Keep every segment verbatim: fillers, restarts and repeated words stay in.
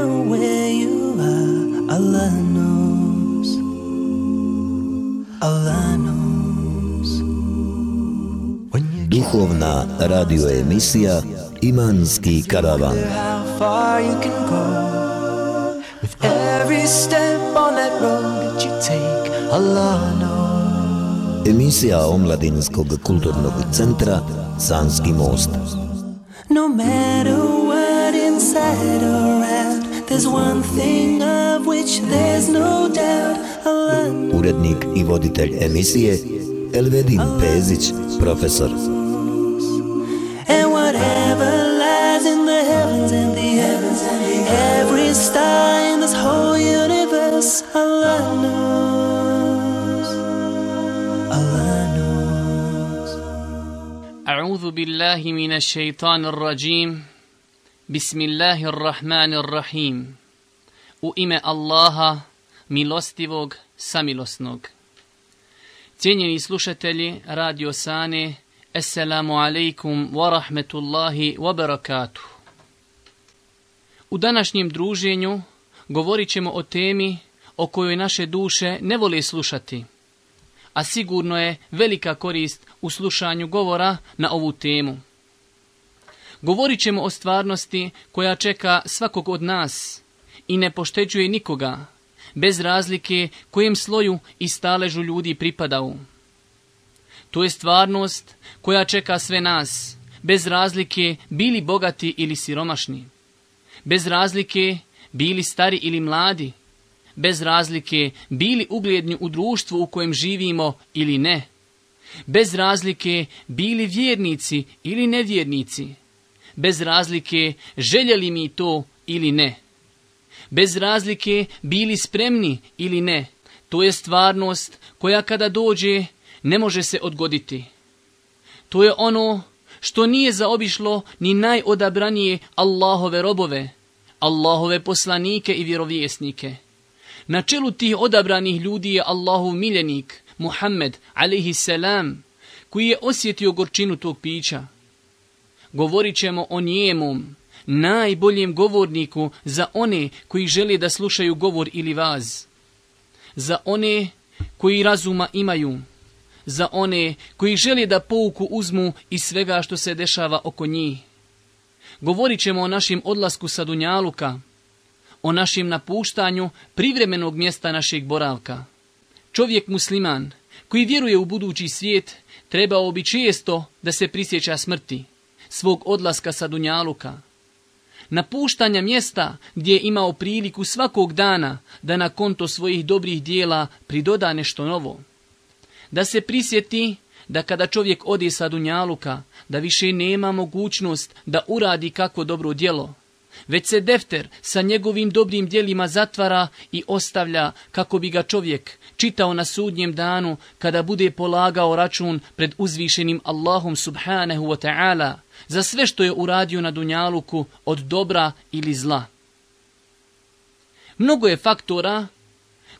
matter where you are, Allah knows. Allah knows. Duhovna radio emisija Imanski karavan. How far you can go with every step on that road that you take, Allah knows. Emisija Omladinskog kulturnog centra Sanski most. No matter what inside or out, there's one thing of which there's no doubt, Allah knows. Urednik i voditelj emisije Elvedin Pezić, profesor. And whatever lies in the heavens and the heavens and the every star in this whole universe, Allah knows. Allah knows. أعوذ بالله من الشيطان الرجيم. بسم الله الرحمن الرحيم. U ime Allaha, milostivog, samilosnog. Cijenjeni slušatelji Radio Sane, Assalamu alaikum wa rahmetullahi wa barakatuh. U današnjem druženju govorit ćemo o temi o kojoj naše duše ne vole slušati, a sigurno je velika korist u slušanju govora na ovu temu. Govorit ćemo o stvarnosti koja čeka svakog od nas i ne pošteđuje nikoga, bez razlike kojem sloju i staležu ljudi pripadaju. To je stvarnost koja čeka sve nas, bez razlike bili bogati ili siromašni, bez razlike bili stari ili mladi, bez razlike bili ugledni u društvu u kojem živimo ili ne, bez razlike bili vjernici ili nevjernici, bez razlike željeli mi to ili ne, bez razlike bili spremni ili ne. To je stvarnost koja kada dođe ne može se odgoditi. To je ono što nije zaobišlo ni najodabranije Allahove robove, Allahove poslanike i vjerovjesnike. Na čelu tih odabranih ljudi je Allahov miljenik, Muhammed, alejhi selam, koji je osjetio gorčinu tog pića. Govorit ćemo o njemom, najboljem govorniku za one koji žele da slušaju govor ili vaz, za one koji razuma imaju, za one koji žele da pouku uzmu iz svega što se dešava oko njih. Govorit ćemo o našem odlasku sa dunjaluka, o našem napuštanju privremenog mjesta našeg boravka. Čovjek musliman koji vjeruje u budući svijet trebao bi često da se prisjeća smrti, svog odlaska sa dunjaluka, napuštanja mjesta gdje je imao priliku svakog dana da na konto svojih dobrih dijela pridoda nešto novo. Da se prisjeti da kada čovjek ode sa dunjaluka, da više nema mogućnost da uradi kakvo dobro djelo, već se defter sa njegovim dobrim djelima zatvara i ostavlja kako bi ga čovjek čitao na sudnjem danu kada bude polagao račun pred uzvišenim Allahom subhanahu wa ta'ala za sve što je uradio na dunjaluku od dobra ili zla. Mnogo je faktora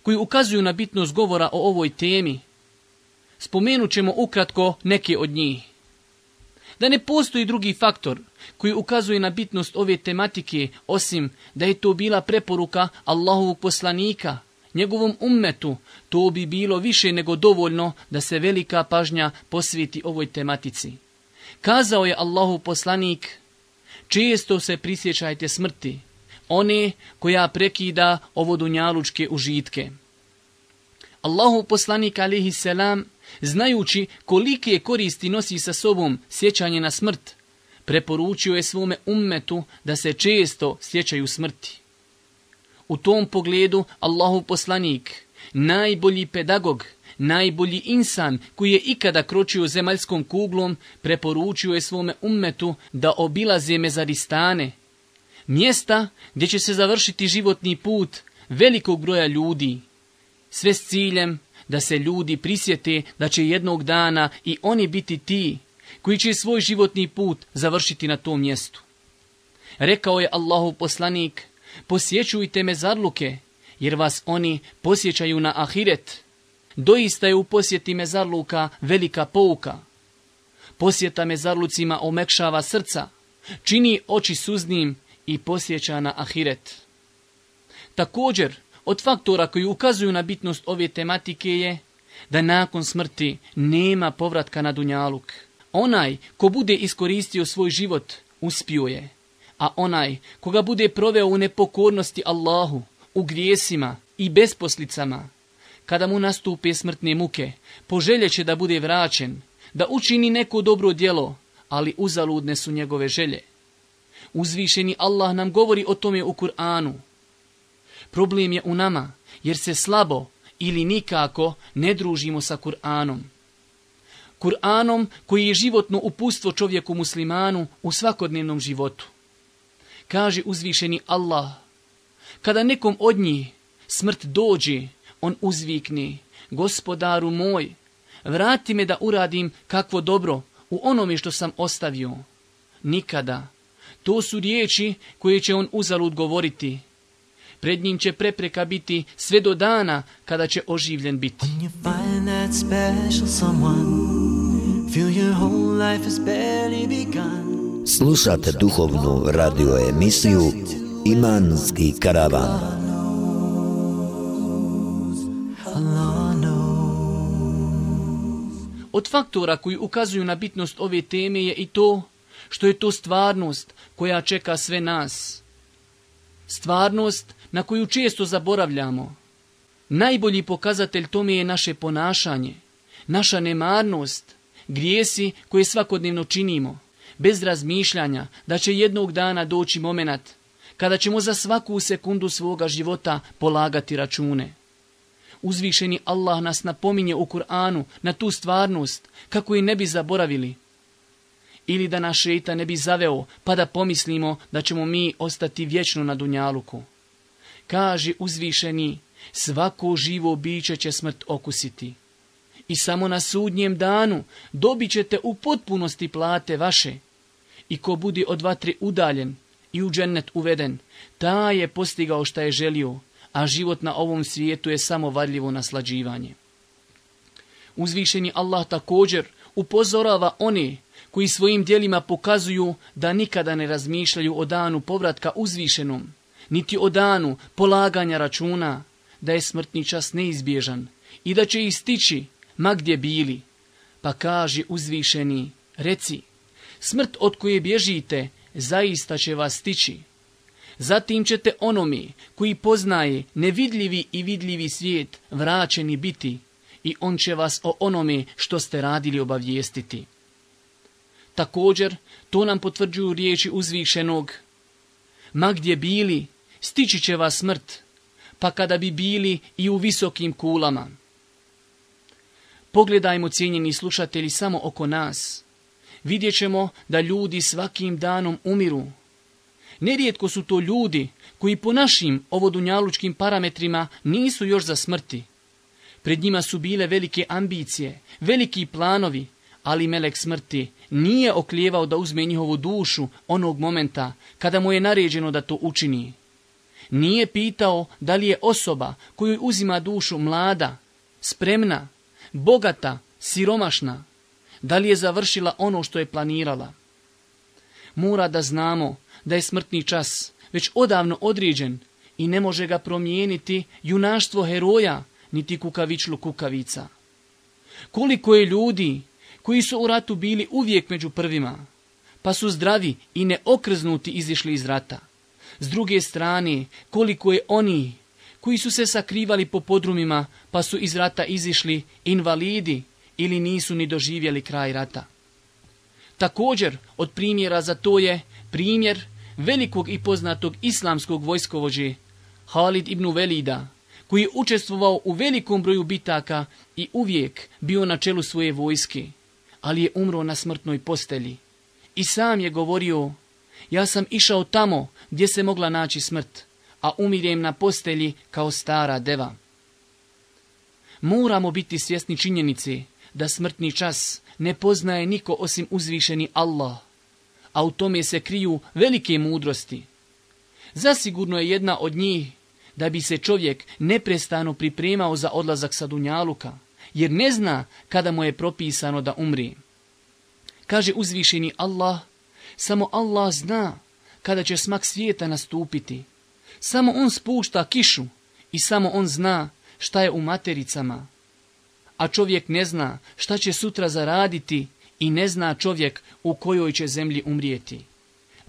koji ukazuju na bitnost govora o ovoj temi. Spomenut ćemo ukratko neke od njih. Da ne postoji drugi faktor koji ukazuje na bitnost ove tematike, osim da je to bila preporuka Allahovog poslanika, njegovom ummetu, to bi bilo više nego dovoljno da se velika pažnja posveti ovoj tematici. Kazao je Allahov poslanik: često se prisjećajte smrti, one koja prekida ovo dunjalučke užitke. Allahov poslanik alejhi selam, znajući kolike koristi nosi sa sobom sjećanje na smrt, preporučio je svome ummetu da se često sjećaju smrti. U tom pogledu Allahov poslanik, najbolji pedagog, najbolji insan koji je ikada kročio zemaljskom kuglom, preporučio je svome ummetu da obilaze mezaristane, mjesta gdje će se završiti životni put velikog broja ljudi, sve s ciljem da se ljudi prisjete da će jednog dana i oni biti ti koji će svoj životni put završiti na tom mjestu. Rekao je Allahov poslanik: posjećujte mezarluke, jer vas oni posjećaju na ahiret. Doista je u posjeti mezarluka velika pouka. Posjeta mezarlucima omekšava srca, čini oči suznim i posjeća na ahiret. Također, od faktora koji ukazuju na bitnost ove tematike je da nakon smrti nema povratka na dunjaluk. Onaj ko bude iskoristio svoj život, uspio je, a onaj koga bude proveo u nepokornosti Allahu, u grijesima i besposlicama, kada mu nastupe smrtne muke, poželjeće da bude vraćen, da učini neko dobro djelo, ali uzaludne su njegove želje. Uzvišeni Allah nam govori o tome u Kur'anu. Problem je u nama, jer se slabo ili nikako ne družimo sa Kur'anom. Kur'anom koji je životno uputstvo čovjeku muslimanu u svakodnevnom životu. Kaže uzvišeni Allah, kada nekom od njih smrt dođe, on uzvikne, Gospodaru moj, vrati me da uradim kakvo dobro u onome što sam ostavio. Nikada. To su riječi koje će on uzalud govoriti. Pred njim će prepreka biti sve do dana kada će oživljen biti. Slušate duhovnu radio emisiju Imanski karavan. Od faktora koji ukazuju na bitnost ove teme je i to što je to stvarnost koja čeka sve nas. Stvarnost na koju često zaboravljamo. Najbolji pokazatelj tome je naše ponašanje, naša nemarnost, grijesi koje svakodnevno činimo, bez razmišljanja da će jednog dana doći momenat kada ćemo za svaku sekundu svoga života polagati račune. Uzvišeni Allah nas napominje u Kur'anu na tu stvarnost kako je ne bi zaboravili. Ili da nas šejtan ne bi zaveo pa da pomislimo da ćemo mi ostati vječno na dunjaluku. Kaže uzvišeni, svako živo biće će smrt okusiti. I samo na sudnjem danu dobit ćete u potpunosti plate vaše. I ko bude od vatre udaljen i u džennet uveden, taj je postigao šta je želio, a život na ovom svijetu je samo varljivo naslađivanje. Uzvišeni Allah također upozorava one koji svojim djelima pokazuju da nikada ne razmišljaju o danu povratka uzvišenom, niti o danu polaganja računa, da je smrtni čas neizbježan i da će ih stići ma gdje bili. Pa kaže uzvišeni, reci, smrt od koje bježite zaista će vas stići. Zatim ćete onome koji poznaje nevidljivi i vidljivi svijet vraćeni biti i on će vas o onome što ste radili obavijestiti. Također, to nam potvrđuju riječi uzvišenog. Ma gdje bili, stići će vas smrt, pa kada bi bili i u visokim kulama. Pogledajmo, cijenjeni slušatelji, samo oko nas. Vidjet ćemo da ljudi svakim danom umiru. Nerijetko su to ljudi koji po našim ovodunjalučkim parametrima nisu još za smrti. Pred njima su bile velike ambicije, veliki planovi, ali melek smrti nije oklijevao da uzme njihovu dušu onog momenta kada mu je naređeno da to učini. Nije pitao da li je osoba koju uzima dušu mlada, spremna, bogata, siromašna, da li je završila ono što je planirala. Mora da znamo da je smrtni čas već odavno određen i ne može ga promijeniti junaštvo heroja niti kukavičlu kukavica. Koliko je ljudi koji su u ratu bili uvijek među prvima, pa su zdravi i neokrznuti izišli iz rata. S druge strane, koliko je oni koji su se sakrivali po podrumima, pa su iz rata izišli invalidi ili nisu ni doživjeli kraj rata. Također, od primjera za to je primjer velikog i poznatog islamskog vojskovođe Halid ibn Velida, koji je učestvovao u velikom broju bitaka i uvijek bio na čelu svoje vojske, ali je umro na smrtnoj postelji. I sam je govorio, ja sam išao tamo gdje se mogla naći smrt, a umirem na postelji kao stara deva. Moramo biti svjesni činjenice da smrtni čas ne poznaje niko osim uzvišeni Allah, a u tome se kriju velike mudrosti. Zasigurno je jedna od njih da bi se čovjek neprestano pripremao za odlazak sa dunjaluka, jer ne zna kada mu je propisano da umri. Kaže uzvišeni Allah, samo Allah zna kada će smak svijeta nastupiti, Samo on spušta kišu i samo on zna šta je u matericama. A čovjek ne zna šta će sutra zaraditi i ne zna čovjek u kojoj će zemlji umrijeti.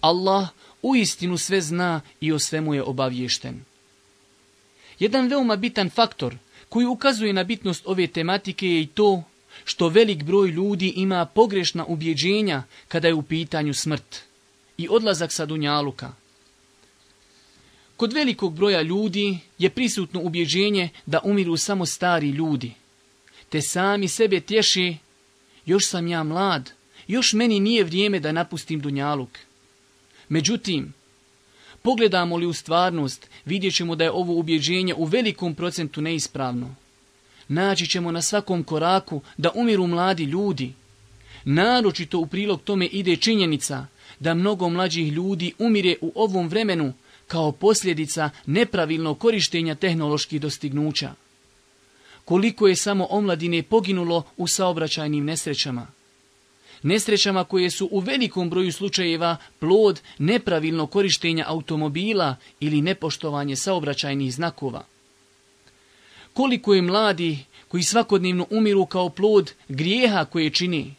Allah uistinu sve zna i o svemu je obaviješten. Jedan veoma bitan faktor koji ukazuje na bitnost ove tematike je i to što velik broj ljudi ima pogrešna ubjeđenja kada je u pitanju smrt i odlazak sa dunjaluka. Kod velikog broja ljudi je prisutno ubjeđenje da umiru samo stari ljudi, te sami sebe tješi: još sam ja mlad, još meni nije vrijeme da napustim dunjaluk. Međutim, pogledamo li u stvarnost, vidjet ćemo da je ovo ubjeđenje u velikom procentu neispravno. Naći ćemo na svakom koraku da umiru mladi ljudi. Naročito u prilog tome ide činjenica da mnogo mlađih ljudi umire u ovom vremenu kao posljedica nepravilnog korištenja tehnoloških dostignuća. Koliko je samo omladine poginulo u saobraćajnim nesrećama. Nesrećama koje su u velikom broju slučajeva plod nepravilnog korištenja automobila ili nepoštovanje saobraćajnih znakova. Koliko je mladi koji svakodnevno umiru kao plod grijeha koje čini.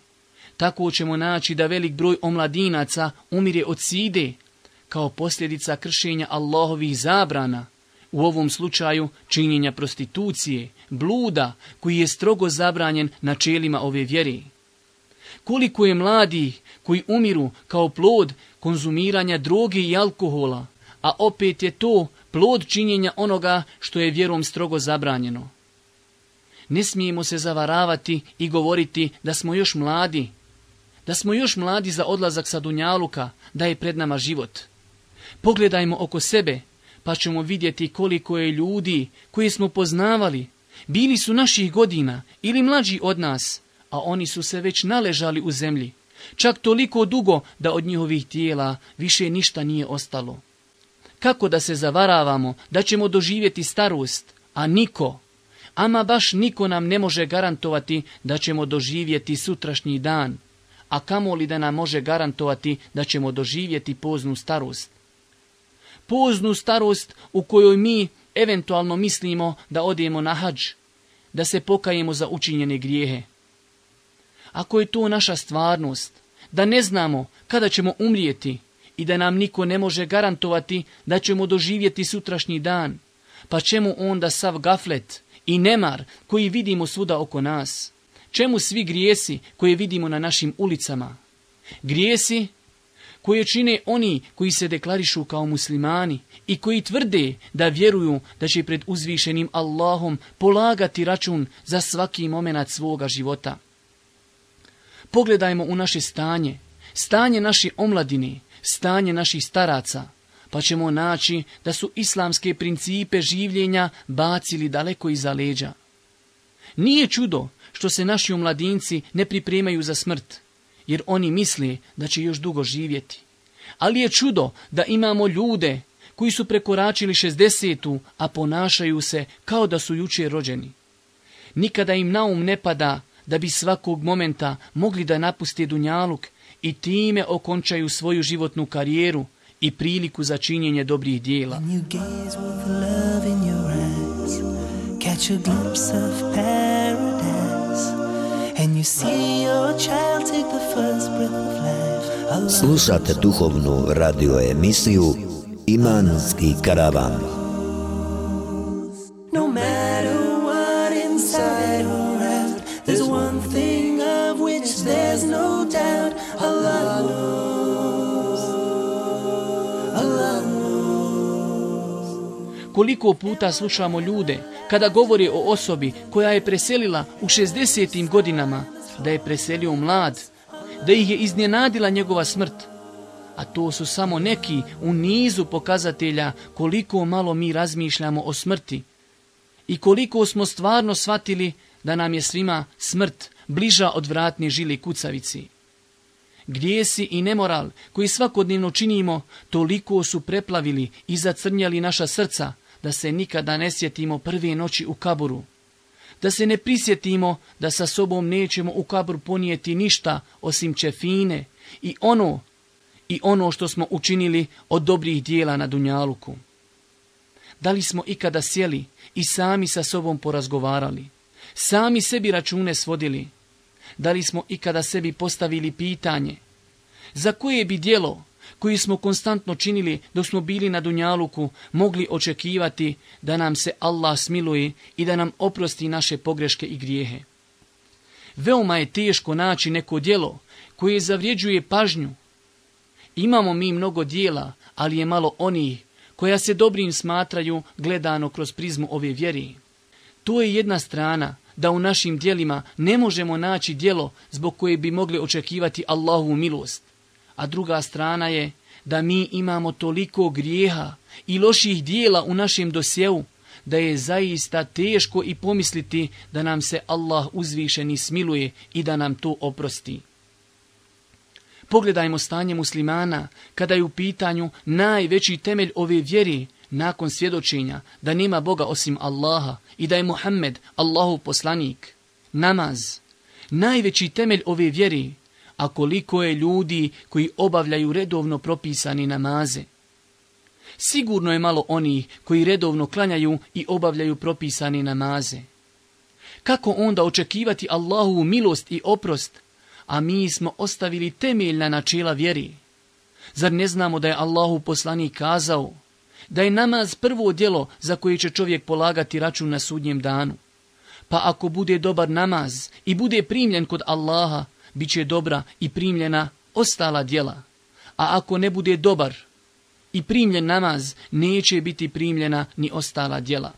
Tako ćemo naći da velik broj omladinaca umire od side kao posljedica kršenja Allahovih zabrana, u ovom slučaju činjenja prostitucije, bluda koji je strogo zabranjen načelima ove vjere. Koliko je mladi koji umiru kao plod konzumiranja droge i alkohola, a opet je to plod činjenja onoga što je vjerom strogo zabranjeno. Ne smijemo se zavaravati i govoriti da smo još mladi, da smo još mladi za odlazak sa dunjaluka, da je pred nama život. Pogledajmo oko sebe, pa ćemo vidjeti koliko je ljudi koje smo poznavali, bili su naših godina ili mlađi od nas, a oni su se već naležali u zemlji, čak toliko dugo da od njihovih tijela više ništa nije ostalo. Kako da se zavaravamo da ćemo doživjeti starost, a niko, ama baš niko nam ne može garantovati da ćemo doživjeti sutrašnji dan, a kamoli da nam može garantovati da ćemo doživjeti poznu starost. Poznu starost u kojoj mi eventualno mislimo da odemo na hadž, da se pokajemo za učinjene grijehe. Ako je to naša stvarnost, da ne znamo kada ćemo umrijeti i da nam niko ne može garantovati da ćemo doživjeti sutrašnji dan, pa čemu onda sav gaflet i nemar koji vidimo svuda oko nas? Čemu svi grijesi koje vidimo na našim ulicama? Grijesi koje čine oni koji se deklarišu kao muslimani i koji tvrde da vjeruju da će pred uzvišenim Allahom polagati račun za svaki momenat svoga života. Pogledajmo u naše stanje, stanje naše omladine, stanje naših staraca, pa ćemo naći da su islamske principe življenja bacili daleko iza leđa. Nije čudo što se naši omladinci ne pripremaju za smrt, jer oni misle da će još dugo živjeti. Ali je čudo da imamo ljude koji su prekoračili šezdesetu, a ponašaju se kao da su jučer rođeni. Nikada im na um ne pada da bi svakog momenta mogli da napuste dunjaluk i time okončaju svoju životnu karijeru i priliku za činjenje dobrih dijela. Slušate duhovnu radio emisiju Imanski karavan. No matter what inside or out, there's one thing of which there's no doubt. Allah knows. Allah knows. Koliko puta slušamo ljude kada govore o osobi koja je preselila u šezdesetim godinama, da je preselio mlad, da ih je iznenadila njegova smrt. A to su samo neki u nizu pokazatelja koliko malo mi razmišljamo o smrti i koliko smo stvarno shvatili da nam je svima smrt bliža od vratne žile kucavici. Grijesi i nemoral koji svakodnevno činimo toliko su preplavili i zacrnjali naša srca da se nikada ne sjetimo prve noći u kaburu. Da se ne prisjetimo da sa sobom nećemo u kabur ponijeti ništa osim čefine i ono, i ono što smo učinili od dobrih dijela na dunjaluku. Da li smo ikada sjeli i sami sa sobom porazgovarali? Sami sebi račune svodili? Da li smo ikada sebi postavili pitanje? Za koje bi djelo koje smo konstantno činili dok smo bili na dunjaluku mogli očekivati da nam se Allah smiluje i da nam oprosti naše pogreške i grijehe? Veoma je teško naći neko djelo koje zavređuje pažnju. Imamo mi mnogo djela, ali je malo onih koja se dobrim smatraju gledano kroz prizmu ove vjeri. To je jedna strana, da u našim djelima ne možemo naći djelo zbog koje bi mogli očekivati Allahovu milost. A druga strana je da mi imamo toliko grijeha i loših djela u našem dosjeu, da je zaista teško i pomisliti da nam se Allah uzvišeni smiluje i da nam to oprosti. Pogledajmo stanje muslimana kada je u pitanju najveći temelj ove vjere nakon svjedočenja da nema Boga osim Allaha i da je Muhammed Allahov poslanik. Namaz, najveći temelj ove vjere, a koliko je ljudi koji obavljaju redovno propisani namaze. Sigurno je malo onih koji redovno klanjaju i obavljaju propisani namaze. Kako onda očekivati Allahovu milost i oprost, a mi smo ostavili temeljna načela vjeri? Zar ne znamo da je Allahov poslanik kazao da je namaz prvo djelo za koje će čovjek polagati račun na sudnjem danu? Pa ako bude dobar namaz i bude primljen kod Allaha, bit će dobra i primljena ostala djela. A ako ne bude dobar i primljen namaz, neće biti primljena ni ostala djela.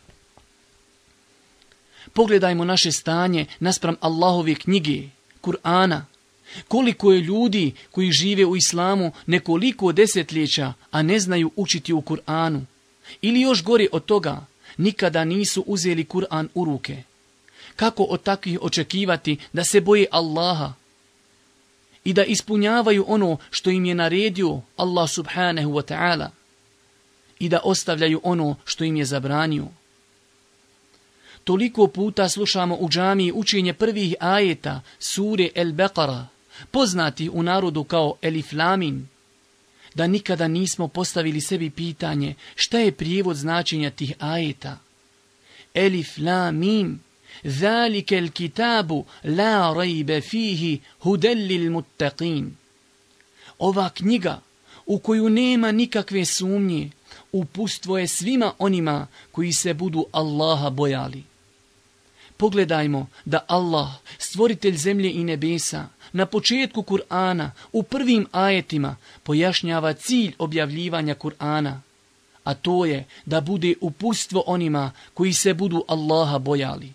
Pogledajmo naše stanje naspram Allahove knjige, Kur'ana. Koliko je ljudi koji žive u islamu nekoliko desetljeća, a ne znaju učiti u Kur'anu. Ili još gore od toga, nikada nisu uzeli Kur'an u ruke. Kako od takvih očekivati da se boje Allaha i da ispunjavaju ono što im je naredio Allah subhanahu wa ta'ala i da ostavljaju ono što im je zabranio? Toliko puta slušamo u džamiji učenje prvih ajeta sure El-Beqara, poznati u narodu kao Elif Lamin, da nikada nismo postavili sebi pitanje šta je prijevod značenja tih ajeta. Elif Lamim, zalike el kitabu la rajbe fihi hudellil muttaqin. Ova knjiga u koju nema nikakve sumnje, upustvo je svima onima koji se budu Allaha bojali. Pogledajmo da Allah, stvoritelj zemlje i nebesa, na početku Kur'ana, u prvim ajetima, pojašnjava cilj objavljivanja Kur'ana, a to je da bude upustvo onima koji se budu Allaha bojali.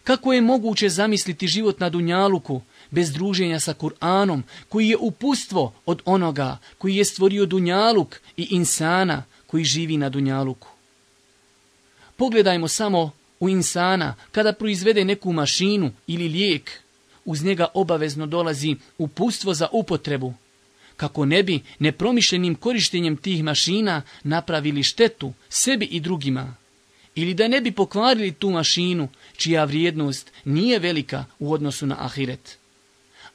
Kako je moguće zamisliti život na dunjaluku bez druženja sa Kur'anom, koji je upustvo od onoga koji je stvorio dunjaluk i insana koji živi na dunjaluku? Pogledajmo samo u insana kada proizvede neku mašinu ili lijek, uz njega obavezno dolazi upustvo za upotrebu, kako ne bi nepromišljenim korištenjem tih mašina napravili štetu sebi i drugima, ili da ne bi pokvarili tu mašinu čija vrijednost nije velika u odnosu na ahiret.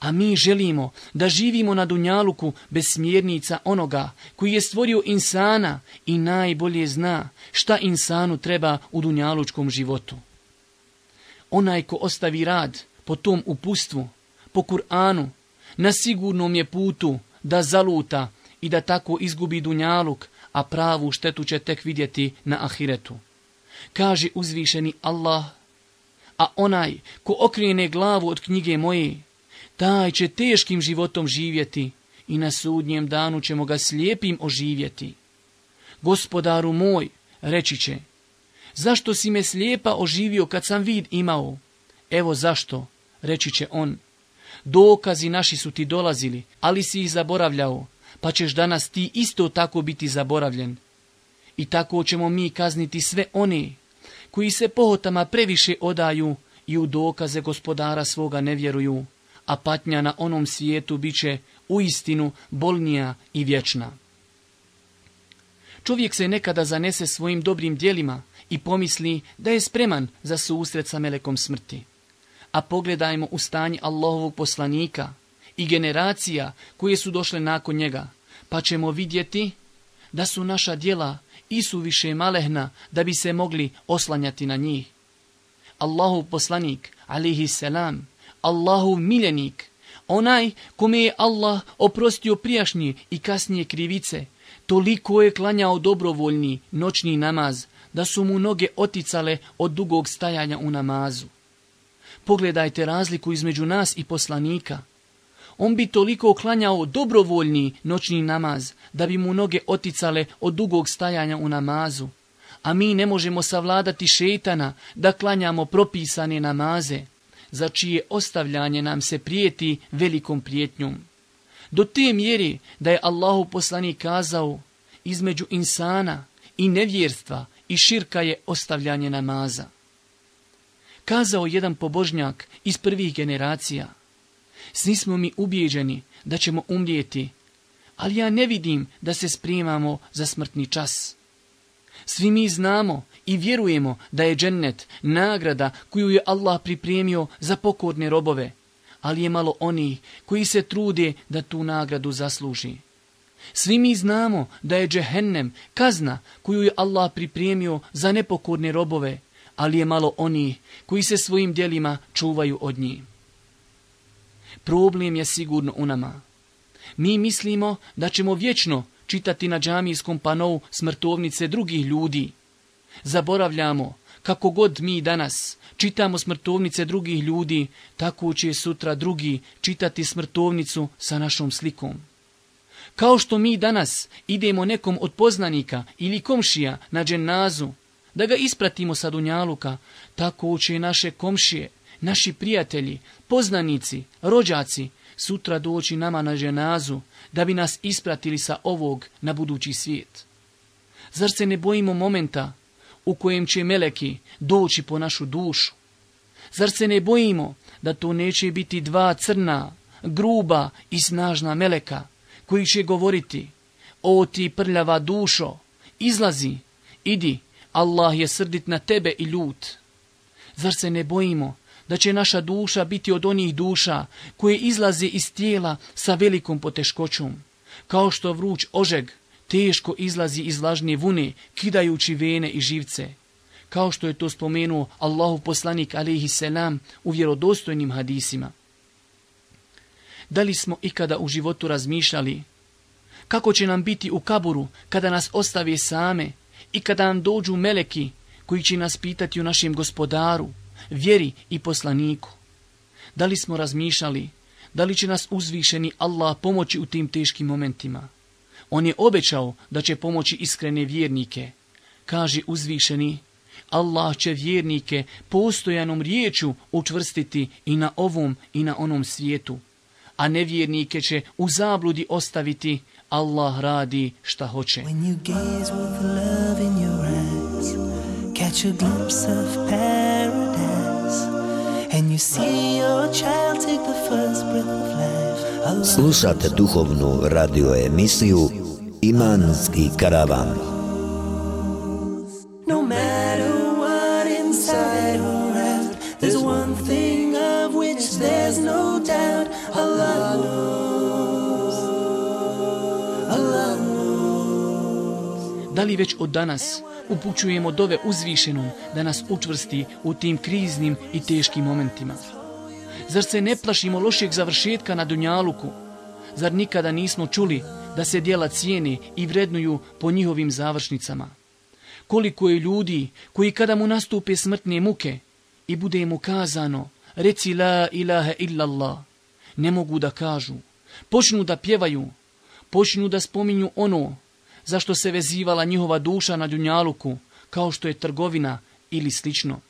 A mi želimo da živimo na dunjaluku bez smjernica onoga koji je stvorio insana i najbolje zna šta insanu treba u dunjalučkom životu. Onaj ko ostavi rad po tom upustvu, po Kur'anu, na sigurnom je putu da zaluta i da tako izgubi dunjaluk, a pravu štetu će tek vidjeti na ahiretu. Kaže uzvišeni Allah, a onaj ko okrene glavu od knjige moje, taj će teškim životom živjeti i na sudnjem danu ćemo ga slijepim oživjeti. Gospodaru moj, reći će, zašto si me slijepa oživio kad sam vid imao? Evo zašto, reći će on, dokazi naši su ti dolazili, ali si ih zaboravljao, pa ćeš danas ti isto tako biti zaboravljen. I tako ćemo mi kazniti sve one koji se pohotama previše odaju i u dokaze gospodara svoga ne vjeruju, a patnja na onom svijetu bit će uistinu bolnija i vječna. Čovjek se nekada zanese svojim dobrim djelima i pomisli da je spreman za susret sa melekom smrti. A pogledajmo u stanje Allahovog poslanika i generacija koje su došle nakon njega, pa ćemo vidjeti da su naša djela isuviše malehna da bi se mogli oslanjati na njih. Allahov poslanik, alejhi selam, Allahov miljenik, onaj kome je Allah oprostio prijašnje i kasnije krivice, toliko je klanjao dobrovoljni noćni namaz da su mu noge oticale od dugog stajanja u namazu. Pogledajte razliku između nas i poslanika. On bi toliko klanjao dobrovoljni noćni namaz da bi mu noge oticale od dugog stajanja u namazu, a mi ne možemo savladati šejtana da klanjamo propisane namaze, za čije ostavljanje nam se prijeti velikom prijetnjom. Do te mjere da je Allahov poslanik kazao, između insana i nevjerstva i širka je ostavljanje namaza. Kazao jedan pobožnjak iz prvih generacija, svi smo mi ubijeđeni da ćemo umrijeti, ali ja ne vidim da se spremamo za smrtni čas. Svi mi znamo i vjerujemo da je džennet nagrada koju je Allah pripremio za pokorne robove, ali je malo onih koji se trude da tu nagradu zasluži. Svi mi znamo da je džehennem kazna koju je Allah pripremio za nepokorne robove, ali je malo onih koji se svojim djelima čuvaju od njih. Problem je sigurno u nama. Mi mislimo da ćemo vječno čitati na džamijskom panou smrtovnice drugih ljudi. Zaboravljamo, kako god mi danas čitamo smrtovnice drugih ljudi, tako će sutra drugi čitati smrtovnicu sa našom slikom. Kao što mi danas idemo nekom od poznanika ili komšija na dženazu, da ga ispratimo sa dunjaluka, tako će naše komšije, naši prijatelji, poznanici, rođaci, sutra doći nama na dženazu, da bi nas ispratili sa ovog na budući svijet. Zar se ne bojimo momenta u kojem će meleki doći po našu dušu? Zar se ne bojimo da to neće biti dva crna, gruba i snažna meleka, koji će govoriti, o ti prljava dušo, izlazi, idi, Allah je srdit na tebe i ljut. Zar se ne bojimo da će naša duša biti od onih duša koje izlaze iz tijela sa velikom poteškoćom, kao što vruć ožeg teško izlazi iz vlažne vune, kidajući vene i živce, kao što je to spomenuo Allahov poslanik alejhi selam u vjerodostojnim hadisima. Da li smo ikada u životu razmišljali kako će nam biti u kaburu kada nas ostave same i kada nam dođu meleki koji će nas pitati o našem gospodaru, vjeri i poslaniku? Da li smo razmišljali da li će nas uzvišeni Allah pomoći u tim teškim momentima? On je obećao da će pomoći iskrene vjernike. Kaže uzvišeni, Allah će vjernike postojanom riječu učvrstiti i na ovom i na onom svijetu, a nevjernike će u zabludi ostaviti. Allah radi šta hoće. When you gaze with love in your eyes, catch a glimpse of paradise, and you see your child take the first breath of life. Allah. Slušate duhovnu radio emisiju Imanski karavan. No matter what inside or out, there's one thing of which there's no doubt. Allah knows. Allah knows. Da li već od danas upućujemo dove uzvišenom da nas učvrsti u tim kriznim i teškim momentima? Zar se ne plašimo lošeg završetka na dunjaluku? Zar nikada nismo čuli da se djela cijene i vrednuju po njihovim završnicama? Koliko je ljudi koji kada mu nastupe smrtne muke i bude mu kazano reci la ilaha illallah, ne mogu da kažu, počnu da pjevaju, počnu da spominju ono zašto se vezivala njihova duša na dunjaluku, kao što je trgovina ili slično.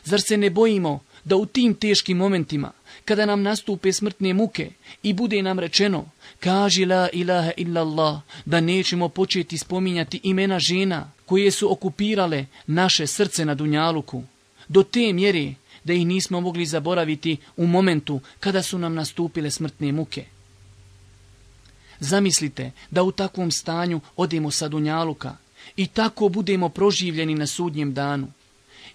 Zar se ne bojimo da u tim teškim momentima, kada nam nastupe smrtne muke i bude nam rečeno kaži la ilaha illallah, da nećemo početi spominjati imena žena koje su okupirale naše srce na dunjaluku, do te mjere da ih nismo mogli zaboraviti u momentu kada su nam nastupile smrtne muke? Zamislite da u takvom stanju odemo sa dunjaluka i tako budemo proživljeni na sudnjem danu.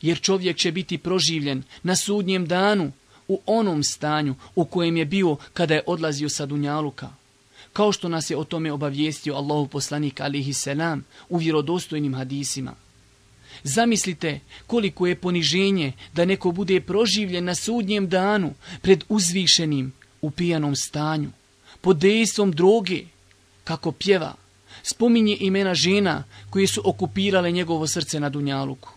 Jer čovjek će biti proživljen na sudnjem danu u onom stanju u kojem je bio kada je odlazio sa dunjaluka. kao što nas je o tome obavijestio Allahov poslanik alejhi selam u vjerodostojnim hadisima. Zamislite koliko je poniženje da neko bude proživljen na sudnjem danu pred uzvišenim u pijanom stanju, pod dejstvom droge, kako pjeva, spominje imena žena koje su okupirale njegovo srce na dunjaluku.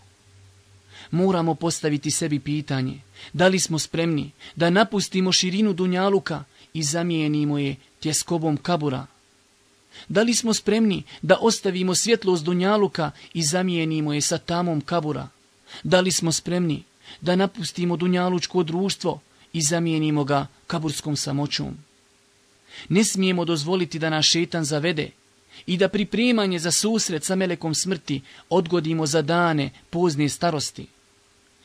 Moramo postaviti sebi pitanje, da li smo spremni da napustimo širinu dunjaluka i zamijenimo je tjeskobom kabura? Da li smo spremni da ostavimo svjetlost dunjaluka i zamijenimo je sa tamom kabura? Da li smo spremni da napustimo dunjalučko društvo i zamijenimo ga kaburskom samoćom? Ne smijemo dozvoliti da nas šejtan zavede i da pripremanje za susret sa melekom smrti odgodimo za dane pozne starosti.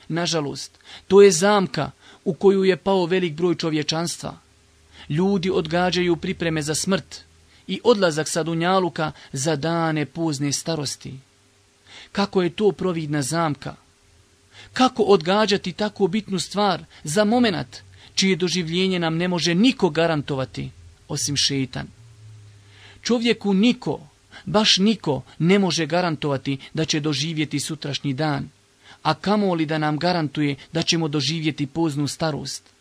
Nažalost, to je zamka u koju je pao velik broj čovječanstva. Ljudi odgađaju pripreme za smrt i odlazak sa dunjaluka za dane pozne starosti. Kako je to providna zamka? Kako odgađati tako bitnu stvar za momenat čije doživljenje nam ne može niko garantovati, osim šejtan? Čovjeku niko, baš niko, ne može garantovati da će doživjeti sutrašnji dan, a kamoli da nam garantuje da ćemo doživjeti poznu starost.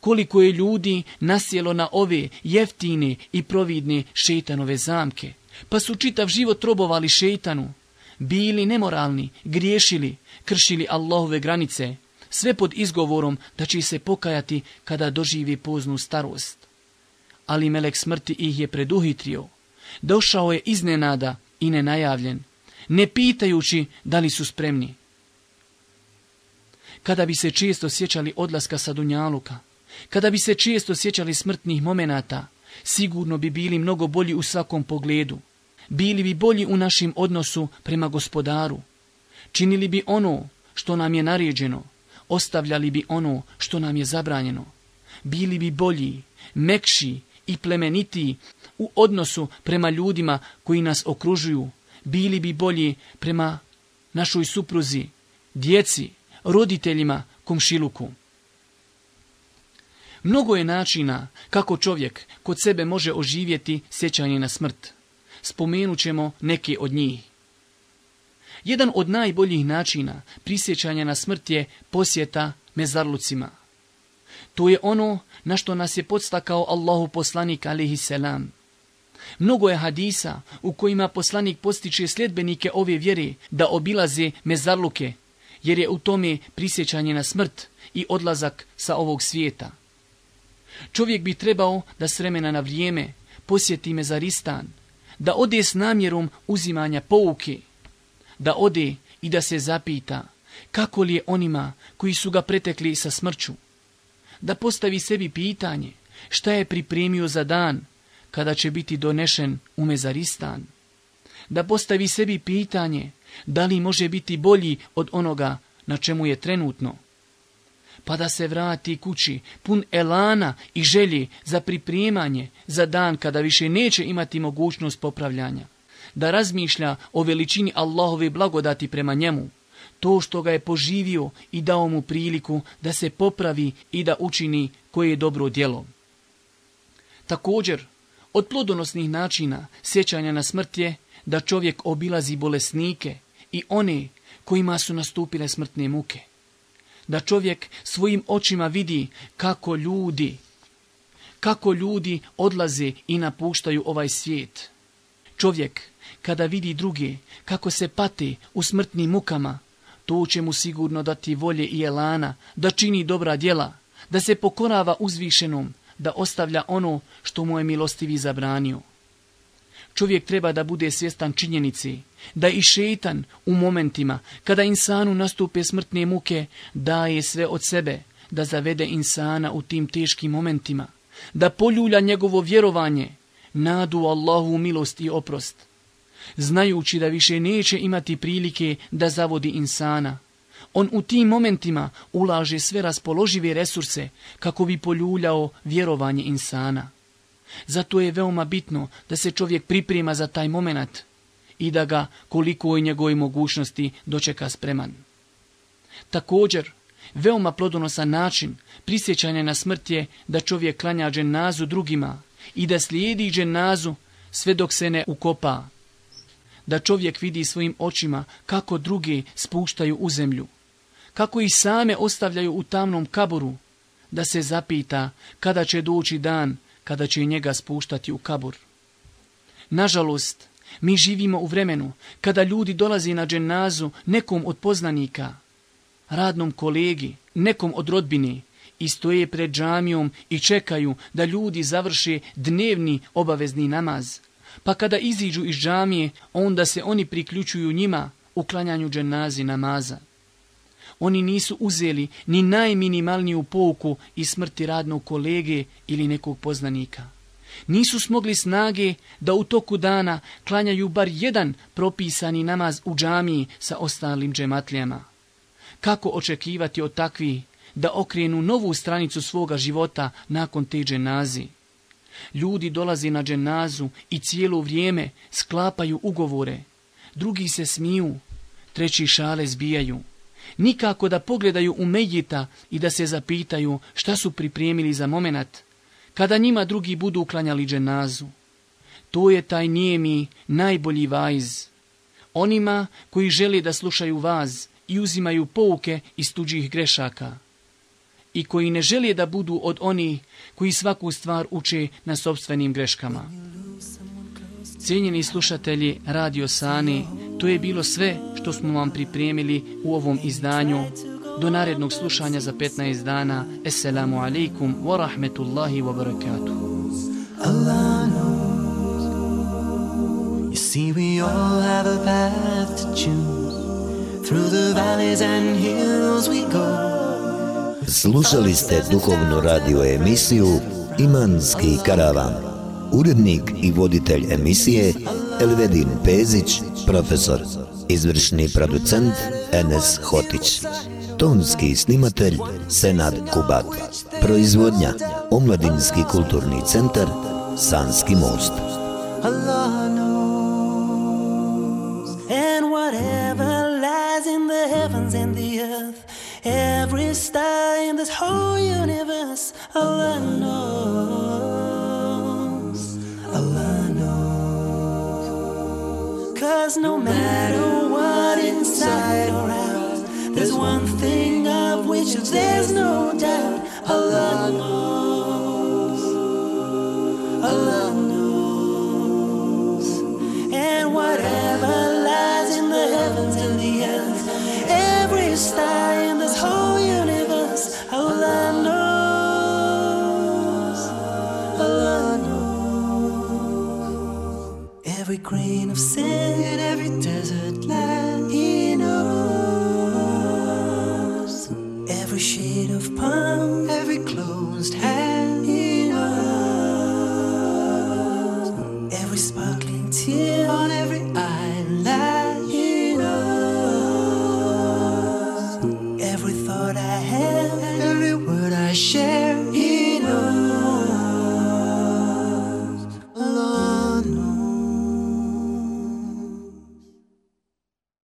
Koliko je ljudi nasjelo na ove jeftine i providne šejtanove zamke, pa su čitav život robovali šejtanu, bili nemoralni, griješili, kršili Allahove granice, sve pod izgovorom da će se pokajati kada doživi poznu starost. Ali melek smrti ih je preduhitrio. Došao je iznenada i nenajavljen, ne pitajući da li su spremni. Kada bi se često sjećali odlaska sa dunjaluka, kada bi se često sjećali smrtnih momenata, sigurno bi bili mnogo bolji u svakom pogledu. Bili bi bolji u našem odnosu prema Gospodaru. Činili bi ono što nam je naređeno, ostavljali bi ono što nam je zabranjeno. Bili bi bolji, mekši i plemenitiji u odnosu prema ljudima koji nas okružuju. Bili bi bolji prema našoj supruzi, djeci, roditeljima, komšiluku. Mnogo je načina kako čovjek kod sebe može oživjeti sjećanje na smrt. Spomenut ćemo neke od njih. Jedan od najboljih načina prisjećanja na smrt je posjeta mezarlucima. To je ono na što nas je podstakao Allahu poslanik alejhi selam. Mnogo je hadisa u kojima poslanik postiče sljedbenike ove vjere da obilaze mezarluke, jer je u tome prisjećanje na smrt i odlazak sa ovog svijeta. Čovjek bi trebao da s vremena na vrijeme posjeti mezaristan, da ode s namjerom uzimanja pouke, da ode i da se zapita kako li je onima koji su ga pretekli sa smrću, da postavi sebi pitanje šta je pripremio za dan kada će biti donešen u mezaristan, da postavi sebi pitanje da li može biti bolji od onoga na čemu je trenutno, pa da se vrati kući pun elana i želje za pripremanje za dan kada više neće imati mogućnost popravljanja, da razmišlja o veličini Allahove blagodati prema njemu, to što ga je poživio i dao mu priliku da se popravi i da učini koje je dobro djelo. Također, od plodonosnih načina sjećanja na smrt je da čovjek obilazi bolesnike i one kojima su nastupile smrtne muke. Da čovjek svojim očima vidi kako ljudi, kako ljudi odlaze i napuštaju ovaj svijet. Čovjek, kada vidi druge kako se pate u smrtnim mukama, to će mu sigurno dati volje i elana da čini dobra djela, da se pokorava uzvišenom, da ostavlja ono što mu je milostivi zabranio. Čovjek treba da bude svjestan činjenici da i šejtan u momentima kada insanu nastupe smrtne muke daje sve od sebe da zavede insana u tim teškim momentima, da poljulja njegovo vjerovanje, nadu Allahu milost i oprost. Znajući da više neće imati prilike da zavodi insana, on u tim momentima ulaže sve raspoložive resurse kako bi poljuljao vjerovanje insana. Zato je veoma bitno da se čovjek priprema za taj moment i da ga koliko je njegove mogućnosti dočeka spreman. Također, veoma plodonosan način prisjećanja na smrt je da čovjek klanja dženazu drugima i da slijedi dženazu sve dok se ne ukopa. Da čovjek vidi svojim očima kako druge spuštaju u zemlju, kako ih same ostavljaju u tamnom kaburu, da se zapita kada će doći dan kada će njega spuštati u kabur. Nažalost, mi živimo u vremenu kada ljudi dolazi na dženazu nekom od poznanika, radnom kolegi, nekom od rodbine i stoje pred džamijom i čekaju da ljudi završe dnevni obavezni namaz. Pa kada iziđu iz džamije, onda se oni priključuju njima u klanjanju dženazi namaza. Oni nisu uzeli ni najminimalniju pouku iz smrti radnog kolege ili nekog poznanika. Nisu smogli snage da u toku dana klanjaju bar jedan propisani namaz u džamiji sa ostalim džematlijama. Kako očekivati od takvih da okrenu novu stranicu svoga života nakon te dženazi? Ljudi dolaze na dženazu i cijelo vrijeme sklapaju ugovore. Drugi se smiju, treći šale zbijaju. Nikako da pogledaju u mejita i da se zapitaju šta su pripremili za momenat kada njima drugi budu uklanjali dženazu. To je taj nijemi najbolji vaiz. Onima koji žele da slušaju vaz i uzimaju pouke iz tuđih grešaka i koji ne žele da budu od onih koji svaku stvar uče na sopstvenim greškama. Cijenjeni slušatelji Radio Sane, to je bilo sve što smo vam pripremili u ovom izdanju. Do narednog slušanja za petnaest dana. Assalamu alaikum wa rahmetullahi wa barakatuh. Allah knows. You see, we all have a path to choose. Through the valleys and hills we go. Slušali ste duhovnu radio emisiju Imanski karavan. Urednik i voditelj emisije Elvedin Pezić, profesor. Izvršni producent Enes Hotić. Tonski snimatelj Senad Kubat. Proizvodnja Omladinski kulturni centar Sanski most. Allah knows. And whatever lies in the heavens and the earth, every star in this whole universe, Allah knows. Allah knows. 'Cause no matter what inside or out, there's one thing of which there's no doubt. Allah knows. Allah knows. And whatever lies in the heavens and the earth, every star in this whole universe, Allah knows. Allah knows. Every grain of sand